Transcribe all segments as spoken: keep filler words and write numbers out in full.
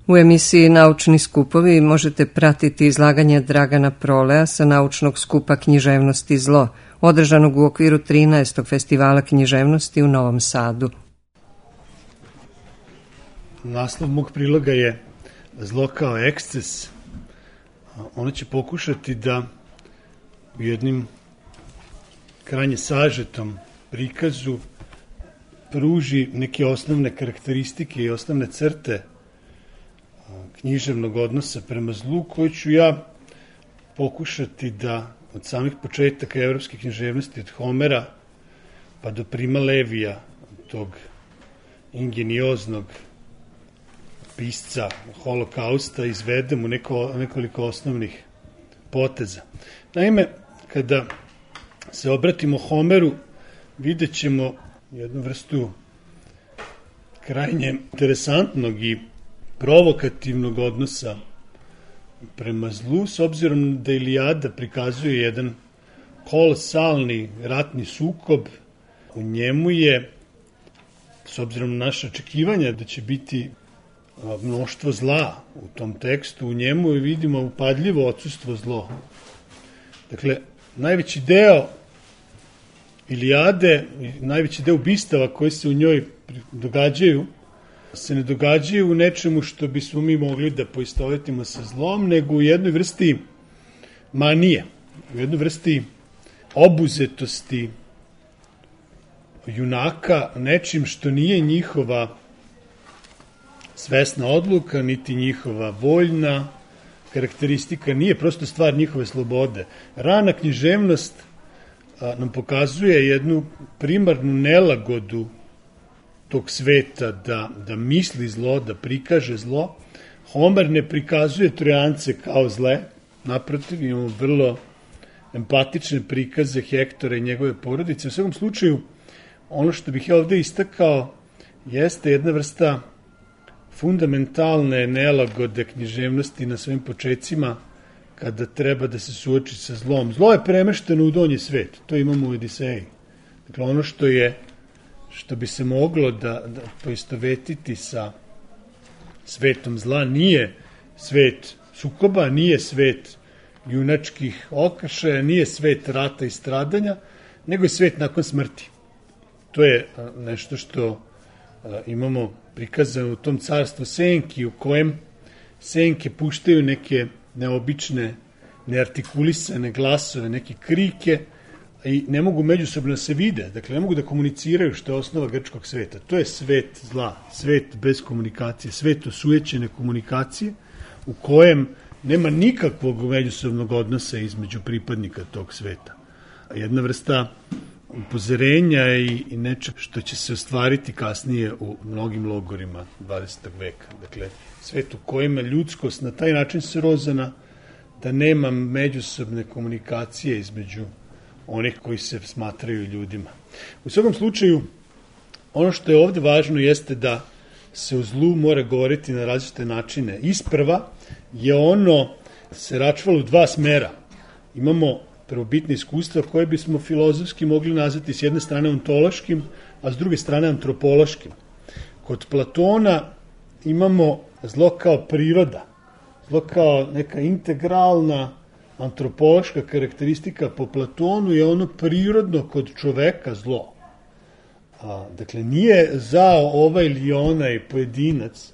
U emisiji Naučni skupovi možete pratiti izlaganje Dragana Prolea sa naučnog skupa Književnosti zlo, održanog u okviru trinaestog festivala književnosti u Novom Sadu. Naslov mog priloga je Zlo kao eksces. Ono će pokušati da u jednim krajnje sažetom prikazu pruži neke osnovne karakteristike i osnovne crte književnog odnosa prema zlu, koji ću ja pokušati da od samih početaka evropske književnosti, od Homera pa do Prima Levija, tog ingenioznog pisca Holokausta, izvedem u neko, nekoliko osnovnih poteza. Naime, kada se obratimo Homeru, vidjet ćemo jednu vrstu krajnje interesantnog i provokativnog odnosa prema zlu, s obzirom da Ilijada prikazuje jedan kolosalni ratni sukob. U njemu je, s obzirom na naše očekivanja da će biti mnoštvo zla u tom tekstu, u njemu vidimo upadljivo odsustvo zlo. Dakle, najveći deo Ilijade, najveći deo ubistava koji se u njoj događaju, se ne događaju u nečemu što bismo mi mogli da poistovetimo sa zlom, nego u jednoj vrsti manije, u jednoj vrsti obuzetosti junaka nečim što nije njihova svesna odluka, niti njihova voljna karakteristika, nije prosto stvar njihove slobode. Rana književnost a, nam pokazuje jednu primarnu nelagodu tog sveta da, da misli zlo, da prikaže zlo. Homer ne prikazuje Trojance kao zle, naprotiv, imamo vrlo empatične prikaze Hektora i njegove porodice. U svakom slučaju, ono što bih ja ovde istakao jeste jedna vrsta fundamentalne nelagode književnosti na svojim počecima kada treba da se suoči sa zlom. Zlo je premešteno u donji svet, to imamo u Odiseji. Dakle, ono što je što bi se moglo da, da poistovetiti sa svetom zla nije svet sukoba, nije svet junačkih okršaja, nije svet rata i stradanja, nego je svet nakon smrti. To je nešto što a, imamo prikazano u tom carstvu senki, u kojem senke puštaju neke neobične, neartikulisane glasove, neke krike, i ne mogu međusobno da se vide, dakle ne mogu da komuniciraju, što je osnova grčkog sveta. To je svet zla, svet bez komunikacije, svet osujećene komunikacije u kojem nema nikakvog međusobnog odnosa između pripadnika tog sveta. Jedna vrsta upozorenja i, i nečeg što će se ostvariti kasnije u mnogim logorima dvadesetog veka. Dakle, svet u kojima ljudskost na taj način srozana da nema međusobne komunikacije između onih koji se smatraju ljudima. U svakom slučaju, ono što je ovde važno jeste da se o zlu mora govoriti na različite načine. Isprva je ono se račvalo u dva smera. Imamo prvobitne iskustva koje bismo filozofski mogli nazvati s jedne strane ontološkim, a s druge strane antropološkim. Kod Platona imamo zlo kao priroda, zlo kao neka integralna antropološka karakteristika. Po Platonu je ono prirodno kod čoveka zlo. A, dakle, nije zao ovaj ili onaj pojedinac,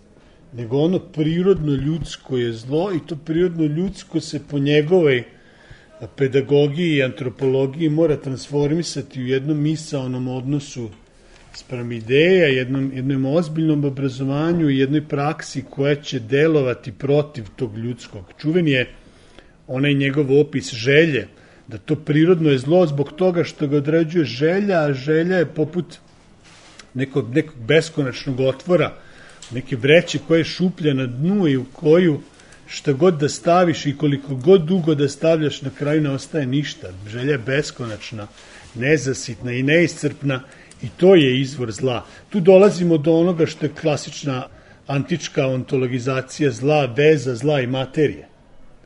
nego ono prirodno ljudsko je zlo, i to prirodno ljudsko se po njegovoj pedagogiji i antropologiji mora transformisati u jednom misaonom odnosu spram ideja, jednom, jednom ozbiljnom obrazovanju i jednoj praksi koja će delovati protiv tog ljudskog. Čuven je onaj njegov opis želje, da to prirodno je zlo zbog toga što ga određuje želja, a želja je poput nekog, nekog beskonačnog otvora, neke vreće koja je šuplja na dnu i u koju šta god da staviš i koliko god dugo da stavljaš, na kraju ne ostaje ništa. Želja je beskonačna, nezasitna i neiscrpna, i to je izvor zla. Tu dolazimo do onoga što je klasična antička ontologizacija zla, veza zla i materije.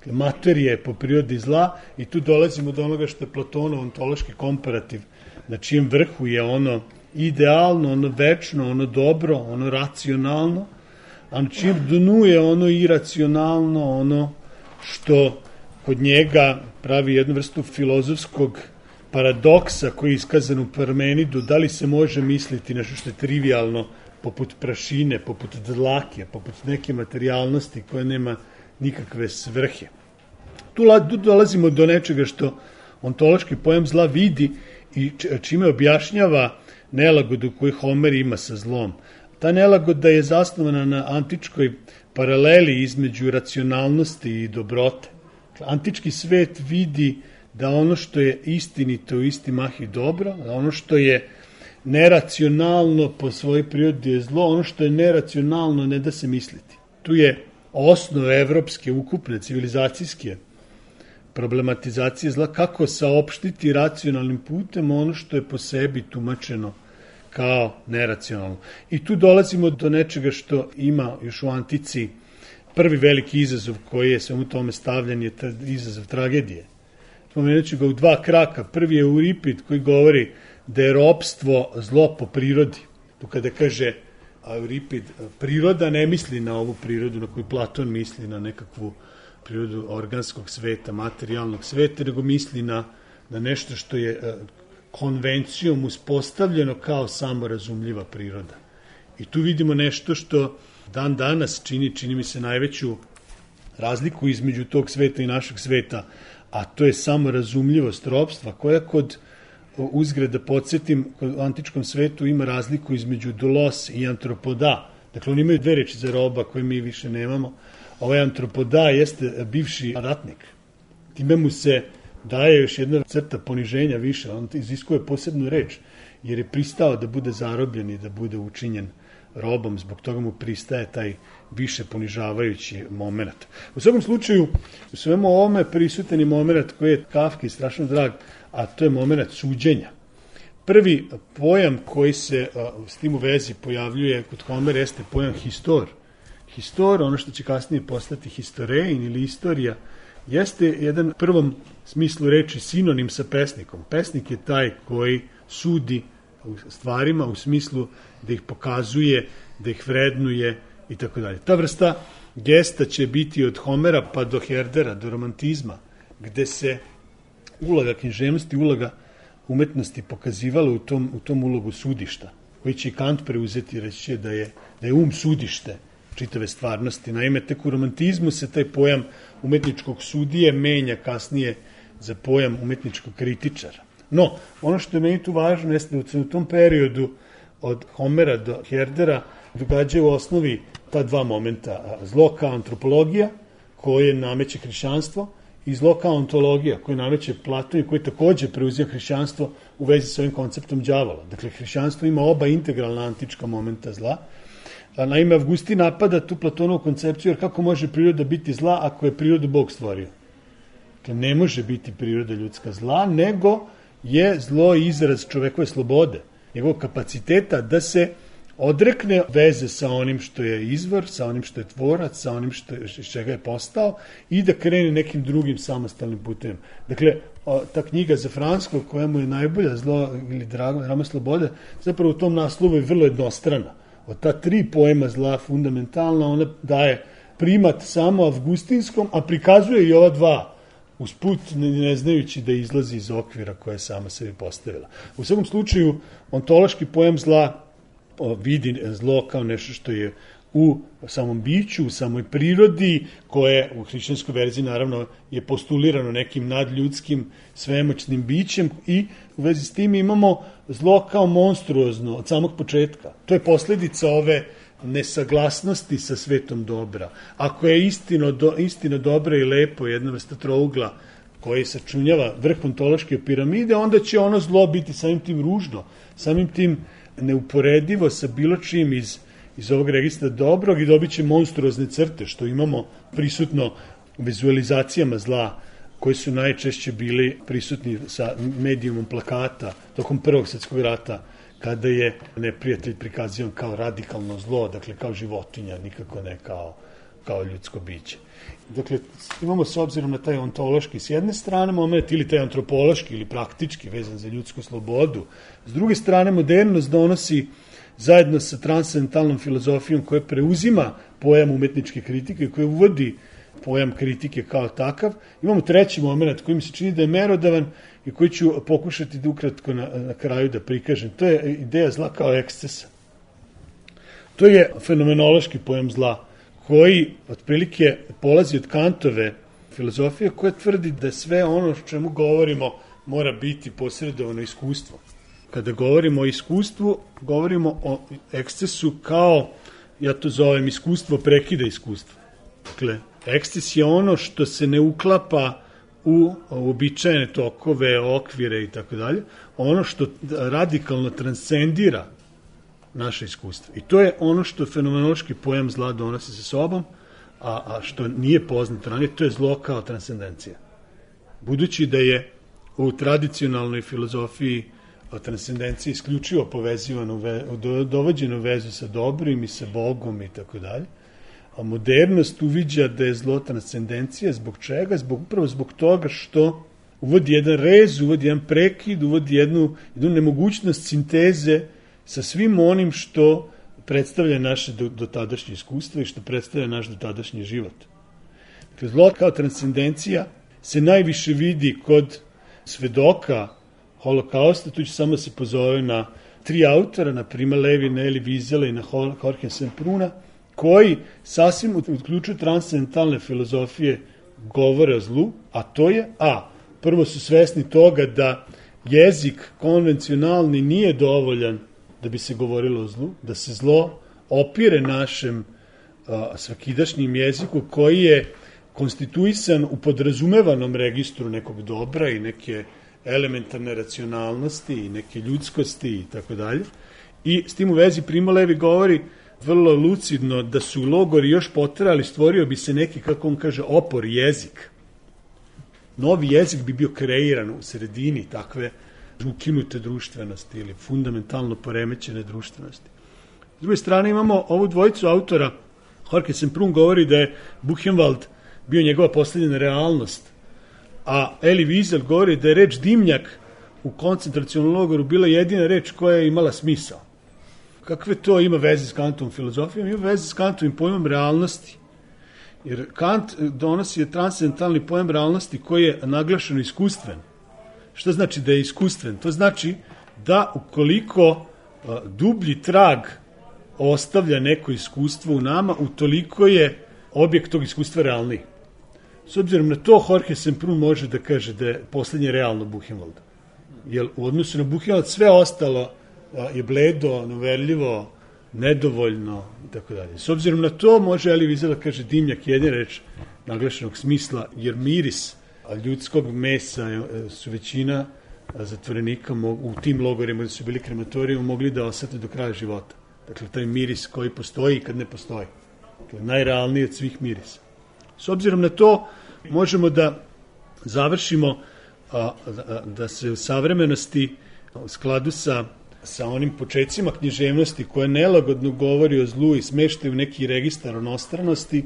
Dakle, materija je po prirodi zla, i tu dolazimo do onoga što je Platonov ontološki komparativ, na čijem vrhu je ono idealno, ono večno, ono dobro, ono racionalno, a na čim dnu je ono iracionalno, ono što kod njega pravi jednu vrstu filozofskog paradoksa koji je iskazan u Parmenidu, da li se može misliti nešto što je trivialno, poput prašine, poput dlake, poput neke materijalnosti koja nema nikakve svrhe. Tu dolazimo do nečega što ontološki pojam zla vidi i čime objašnjava nelagodu koju Homer ima sa zlom. Ta nelagoda je zasnovana na antičkoj paraleli između racionalnosti i dobrote. Antički svet vidi da ono što je istinito u isti mah i dobro, da ono što je neracionalno po svojoj prirodi je zlo, ono što je neracionalno ne da se misliti. Tu je osnov evropske, ukupne, civilizacijske problematizacije zla, kako saopštiti racionalnim putem ono što je po sebi tumačeno kao neracionalno. I tu dolazimo do nečega što ima još u antici prvi veliki izazov koji je svemu tome stavljen, je izazov tragedije. Spomenut ću ga u dva kraka. Prvi je Euripid koji govori da je ropstvo zlo po prirodi. Tu kada kaže Euripid, priroda ne misli na ovu prirodu na koju Platon misli, na nekakvu prirodu organskog sveta, materijalnog sveta, nego misli na, na nešto što je konvencijom uspostavljeno kao samorazumljiva priroda. I tu vidimo nešto što dan danas čini, čini mi se najveću razliku između tog sveta i našeg sveta, a to je samorazumljivost ropstva, koja kod uzgred da podsjetim, kod antičkom svetu ima razliku između doulos i antropoda. Dakle, oni imaju dve reči za roba koje mi više nemamo. Ovaj antropoda jeste bivši ratnik. Time mu se daje još jedna crta poniženja više, on iziskuje posebnu reč, jer je pristao da bude zarobljen i da bude učinjen robom, zbog toga mu pristaje taj više ponižavajući moment. U svakom slučaju, u svemu ovome prisutan je moment koji je Kafki strašno drag, a to je moment suđenja. Prvi pojam koji se s tim u vezi pojavljuje kod Homera jeste pojam histor. Histor, ono što će kasnije postati historijin ili istorija, jeste jedan prvom smislu reči sinonim sa pesnikom. Pesnik je taj koji sudi u stvarima u smislu da ih pokazuje, da ih vrednuje i tako dalje. Ta vrsta gesta će biti od Homera pa do Herdera, do romantizma, gde se uloga književnosti, uloga umetnosti pokazivala u tom, u tom ulogu sudišta, koji će Kant preuzeti, reći će da je, da je um sudište čitave stvarnosti. Naime, tek u romantizmu se taj pojam umetničkog sudije menja kasnije za pojam umetničkog kritičara. No, ono što je meni tu važno jeste da se u tom periodu od Homera do Herdera događaju u osnovi ta dva momenta. Zlo kao antropologija, koje nameće hrišćanstvo, i zlo kao ontologija, koje nameće Platon i koje takođe preuzija hrišćanstvo u vezi sa ovim konceptom đavola. Dakle, hrišćanstvo ima oba integralna antička momenta zla. Naime, Avgustin napada tu Platonovu koncepciju, jer kako može priroda biti zla ako je prirodu Bog stvorio? Dakle, ne može biti priroda ljudska zla, nego je zlo izraz čovekove slobode, njegovog kapaciteta da se odrekne veze sa onim što je izvor, sa onim što je tvorac, sa onim što je, iz čega je postao i da krene nekim drugim samostalnim putem. Dakle, ta knjiga za Franskog, koja mu je najbolja, Zlo ili drama slobode, zapravo u tom naslovu je vrlo jednostrana. Od ta tri pojma zla fundamentalna, ona daje primat samo avgustinskom, a prikazuje i ova dva usput ne znajući da izlazi iz okvira koje je sama sebi postavila. U svakom slučaju, ontološki pojam zla vidi zlo kao nešto što je u samom biću, u samoj prirodi, koje u hrišćanskoj verziji naravno je postulirano nekim nadljudskim svemoćnim bićem i u vezi s tim imamo zlo kao monstruozno od samog početka. To je posledica ove nesaglasnosti sa svetom dobra. Ako je istino, do, istina dobra i lepo, jedna vrsta trougla koji sačunjava vrh ontološke piramide, onda će ono zlo biti samim tim ružno, samim tim neuporedivo sa bilo čim iz, iz ovog registra dobrog i dobit će monstruozne crte, što imamo prisutno u vizualizacijama zla, koji su najčešće bili prisutni sa medijumom plakata tokom Prvog svjetskog rata, kada je neprijatelj prikazivan kao radikalno zlo, dakle kao životinja, nikako ne kao, kao ljudsko biće. Dakle, imamo s obzirom na taj ontološki s jedne strane moment, ili taj antropološki ili praktički vezan za ljudsku slobodu. S druge strane, modernost donosi zajedno sa transcendentalnom filozofijom koja preuzima pojam umetničke kritike, koja uvodi pojam kritike kao takav. Imamo treći moment koji mi se čini da je merodavan i koji ću pokušati da ukratko na, na kraju da prikažem. To je ideja zla kao ekscesa. To je fenomenološki pojam zla koji otprilike polazi od Kantove filozofije koja tvrdi da sve ono o čemu govorimo mora biti posredovano iskustvo. Kada govorimo o iskustvu, govorimo o ekscesu kao, ja to zovem, iskustvo prekida iskustva. Dakle, eksces je ono što se ne uklapa u uobičajene tokove, okvire i tako dalje, ono što radikalno transcendira naše iskustvo. I to je ono što fenomenološki pojam zla donosi sa sobom, a, a što nije poznato ranije, to je zlo kao transcendencija. Budući da je u tradicionalnoj filozofiji transcendencija isključivo povezivano, dovođeno u vezu sa dobrim i sa Bogom i tako dalje, a modernost uviđa da je zlo transcendencija. Zbog čega? Zbog, upravo zbog toga što uvodi jedan rez, uvodi jedan prekid, uvodi jednu, jednu nemogućnost sinteze sa svim onim što predstavlja naše do, dotadašnje iskustvo i što predstavlja naš dotadašnji život. Dakle, zlo kao transcendencija se najviše vidi kod svedoka holokausta. Tu ću samo se pozove na tri autora, na Prima Levi, na Elie Wiesela i na Jorge Sempruna, koji sasvim uključuju transcendentalne filozofije govore o zlu, a to je, a, prvo su svesni toga da jezik konvencionalni nije dovoljan da bi se govorilo o zlu, da se zlo opire našem a, svakidašnjim jeziku koji je konstituisan u podrazumevanom registru nekog dobra i neke elementarne racionalnosti i neke ljudskosti i tako dalje. I s tim u vezi Primo Levi govori vrlo lucidno da su logori još potrajali, stvorio bi se neki, kako on kaže, opor jezik. Novi jezik bi bio kreiran u sredini takve ukinute društvenosti ili fundamentalno poremećene društvenosti. S druge strane imamo ovu dvojicu autora. Jorge Semprún govori da je Buchenwald bio njegova posljednja realnost, a Elie Wiesel govori da je reč dimnjak u koncentracionom logoru bila jedina reč koja je imala smisao. Kakve to ima veze s Kantovom filozofijom? Ima veze s Kantovim pojmom realnosti. Jer Kant donosi transcendentalni pojam realnosti koji je naglašeno iskustven. Šta znači da je iskustven? To znači da ukoliko a, dublji trag ostavlja neko iskustvo u nama, utoliko je objekt tog iskustva realniji. S obzirom na to, Jorge Semprún može da kaže da je poslednje realno Buchenwald. Jer u odnosu na Buchenwald sve ostalo a, je bledo, noverljivo, nedovoljno i tako dalje. S obzirom na to, može Elie Wiesel da kaže dimnjak jedina reč naglašenog smisla, jer miris ljudskog mesa su većina zatvorenika u tim logorima da su bili krematorijom mogli da osete do kraja života. Dakle, taj miris koji postoji i kad ne postoji. Dakle, najrealniji od svih mirisa. S obzirom na to, možemo da završimo a, a, da se u savremenosti u skladu sa, sa onim počecima književnosti koja nelagodno govori o zlu i smeštaju neki registar onostranosti.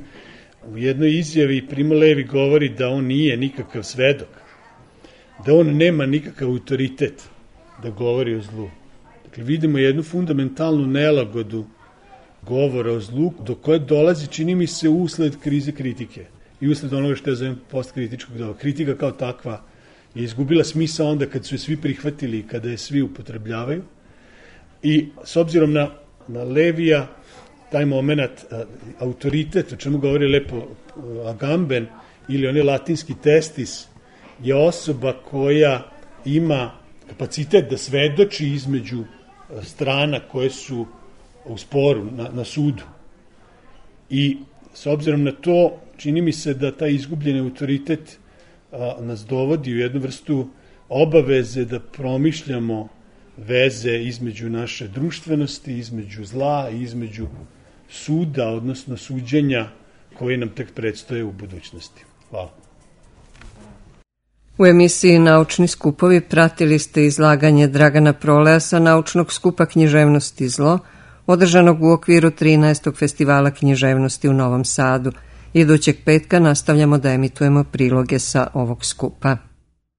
U jednoj izjavi Primo Levi govori da on nije nikakav svedok, da on nema nikakav autoritet da govori o zlu. Dakle, vidimo jednu fundamentalnu nelagodu govora o zlu, do koje dolazi, čini mi se, usled krize kritike i usled onoga što je zovem postkritičkog doba. Kritika kao takva je izgubila smisao onda kad su je svi prihvatili i kada je svi upotrebljavaju. I s obzirom na, na Levija, taj moment, autoritet, o čemu govori lepo Agamben, ili onaj latinski testis, je osoba koja ima kapacitet da svedoči između strana koje su u sporu na, na sudu. I s obzirom na to, čini mi se da taj izgubljeni autoritet a, nas dovodi u jednu vrstu obaveze da promišljamo veze između naše društvenosti, između zla i između suda, odnosno suđenja koje nam tek predstoje u budućnosti. Hvala. U emisiji Naučni skupovi pratili ste izlaganje Dragana Proleja sa naučnog skupa književnosti zlo, održanog u okviru trinaestog festivala književnosti u Novom Sadu. Idućeg petka nastavljamo da emitujemo priloge sa ovog skupa.